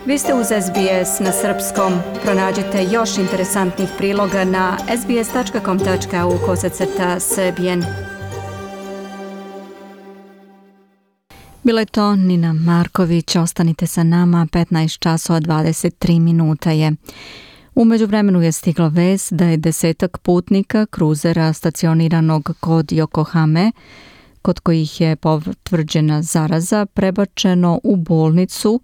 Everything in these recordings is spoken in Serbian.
Vi ste uz SBS na srpskom. Pronađite još interesantnih priloga na sbs.com.au/srbijen. Bila je to Nina Marković. Ostanite sa nama, 15 časova 23 minuta je. U međuvremenu je stigla vest da je 10 putnika kruzera stacioniranog kod Yokohame, kod kojih je potvrđena zaraza, prebačeno u bolnicu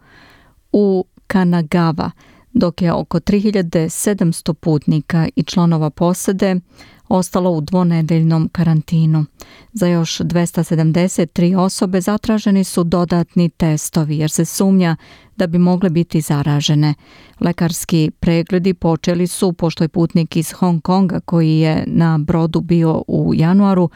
u Kanagawa, dok je oko 3700 putnika i članova posade ostalo u dvonedeljnom karantinu. Za još 273 osobe zatraženi su dodatni testovi jer se sumnja da bi mogle biti zaražene. Lekarski pregledi počeli su pošto je putnik iz Hong Konga koji je na brodu bio u januaru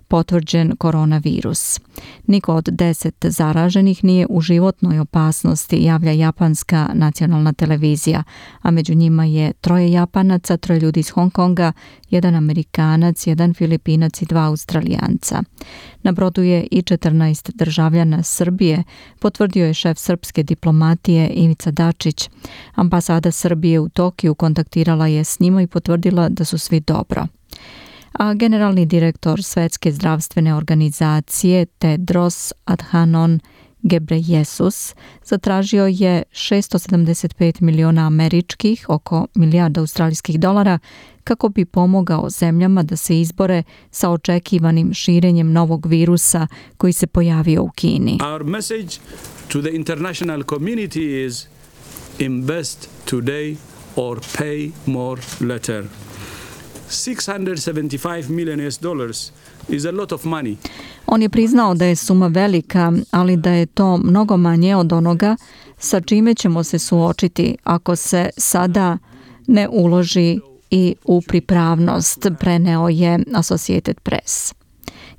potvrđen koronavirus. Niko od 10 zaraženih nije u životnoj opasnosti, javlja japanska nacionalna televizija, a među njima je 3 Japanaca, 3 ljudi iz Hong Konga, 1 Amerikanac, 1 Filipinac i 2 Australijanca. Na brodu je i 14 državljana Srbije, potvrdio je šef srpske diplomatije Ivica Dačić. Ambasada Srbije u Tokiju kontaktirala je s njima i potvrdila da su svi dobro. A generalni direktor Svetske zdravstvene organizacije Tedros Adhanom Ghebreyesus zatražio je 675 miliona američkih, oko milijarda australijskih dolara, kako bi pomogao zemljama da se izbore sa očekivanim širenjem novog virusa koji se pojavio u Kini. Our message to the international community is invest today or pay more later. $675 million is a lot of money. On je priznao da je suma velika, ali da je to mnogo manje od onoga sa čime ćemo se suočiti ako se sada ne uloži i u pripravnost, preneo je Associated Press.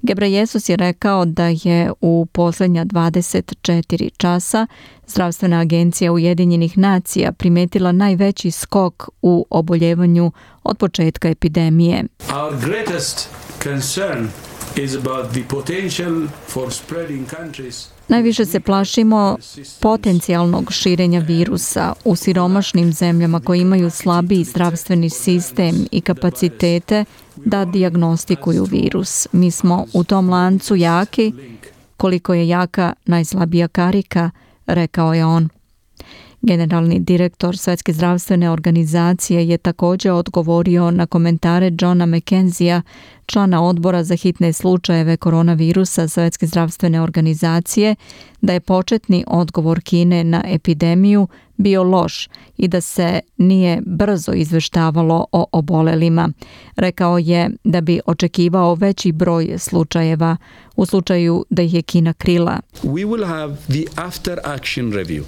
Ghebreyesus je rekao da je u posljednja 24 časa Zdravstvena agencija Ujedinjenih nacija primetila najveći skok u oboljevanju od početka epidemije. Our greatest concern is about the potential for spreading countries. Najviše se plašimo potencijalnog širenja virusa u siromašnim zemljama koje imaju slabiji zdravstveni sistem i kapacitete da dijagnostikuju virus. Mi smo u tom lancu jaki, koliko je jaka najslabija karika, rekao je on. Generalni direktor Svetske zdravstvene organizacije je također odgovorio na komentare Johna McKenzija, člana odbora za hitne slučajeve koronavirusa Svetske zdravstvene organizacije, da je početni odgovor Kine na epidemiju bio loš i da se nije brzo izveštavalo o obolelima. Rekao je da bi očekivao veći broj slučajeva u slučaju da ih je Kina krila. We will have the after action review.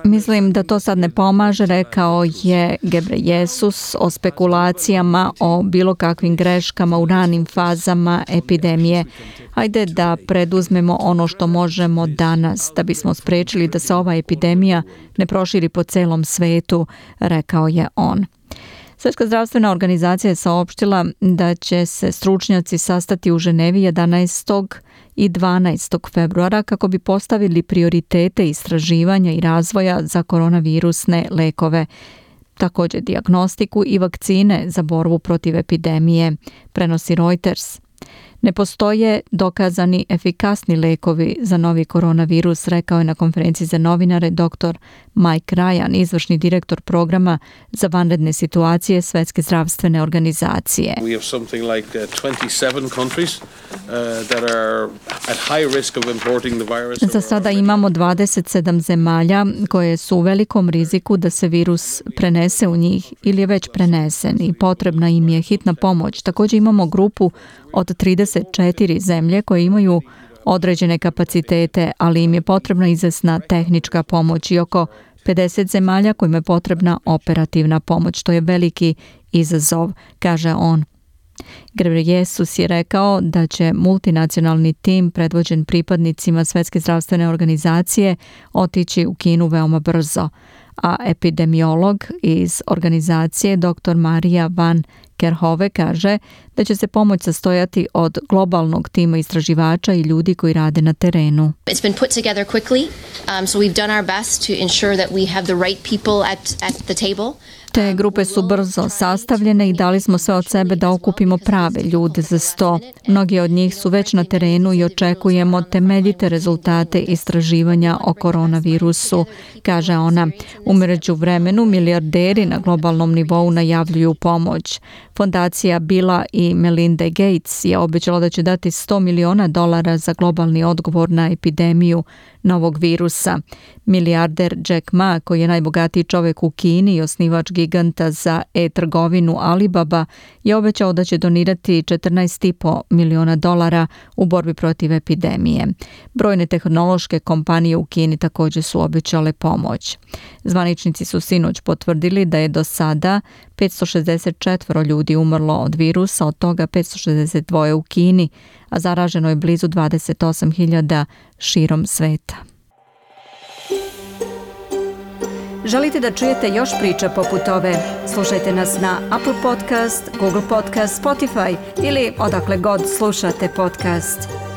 Mislim da to sad ne pomaže, rekao je Ghebreyesus o spekulacijama o bilo kakvim greškama u ranim fazama epidemije. Hajde da preduzmemo ono što možemo danas da bismo spriječili da se ova epidemija ne proširi po celom svetu, rekao je on. Svjetska zdravstvena organizacija je saopštila da će se stručnjaci sastati u Ženevi 11. i 12. februara kako bi postavili prioritete istraživanja i razvoja za koronavirusne lekove, također dijagnostiku i vakcine za borbu protiv epidemije, prenosi Reuters. Ne postoje dokazani efikasni lekovi za novi koronavirus, rekao je na konferenciji za novinare dr. Mike Ryan, izvršni direktor programa za vanredne situacije Svetske zdravstvene organizacije. We have something like 27 countries that are at high risk of importing the virus. Za sada imamo 27 zemalja koje su u velikom riziku da se virus prenese u njih ili je već prenesen i potrebna im je hitna pomoć. Također imamo grupu od 34 zemlje koje imaju određene kapacitete, ali im je potrebna izvesna tehnička pomoć i oko 50 zemalja kojima je potrebna operativna pomoć. To je veliki izazov, kaže on. Ghebreyesus je rekao da će multinacionalni tim predvođen pripadnicima Svetske zdravstvene organizacije otići u Kinu veoma brzo, a epidemiolog iz organizacije dr. Marija Van Kerhove kaže da će se pomoć sastojati od globalnog tima istraživača i ljudi koji rade na terenu. It's been put together quickly, so we've done our best to ensure that we have the right people at the table. Te grupe su brzo sastavljene i dali smo sve od sebe da okupimo prave ljude za sto. Mnogi od njih su već na terenu i očekujemo temeljite rezultate istraživanja o koronavirusu, kaže ona. U međuvremenu milijarderi na globalnom nivou najavljuju pomoć. Fondacija Billa i Melinda Gates je obećala da će dati $100 miliona za globalni odgovor na epidemiju novog virusa. Milijarder Jack Ma, koji je najbogatiji čovjek u Kini i osnivač giganta za e-trgovinu Alibaba, je obećao da će donirati $14,5 miliona u borbi protiv epidemije. Brojne tehnološke kompanije u Kini također su obećale pomoć. Zvaničnici su sinoć potvrdili da je do sada 564 ljudi umrlo od virusa, od toga 562 u Kini, a zaraženo je blizu 28.000 širom sveta. Želite da čujete još priča poput ove? Slušajte nas na Apple Podcast, Google Podcast, Spotify ili odakle god slušate podcast.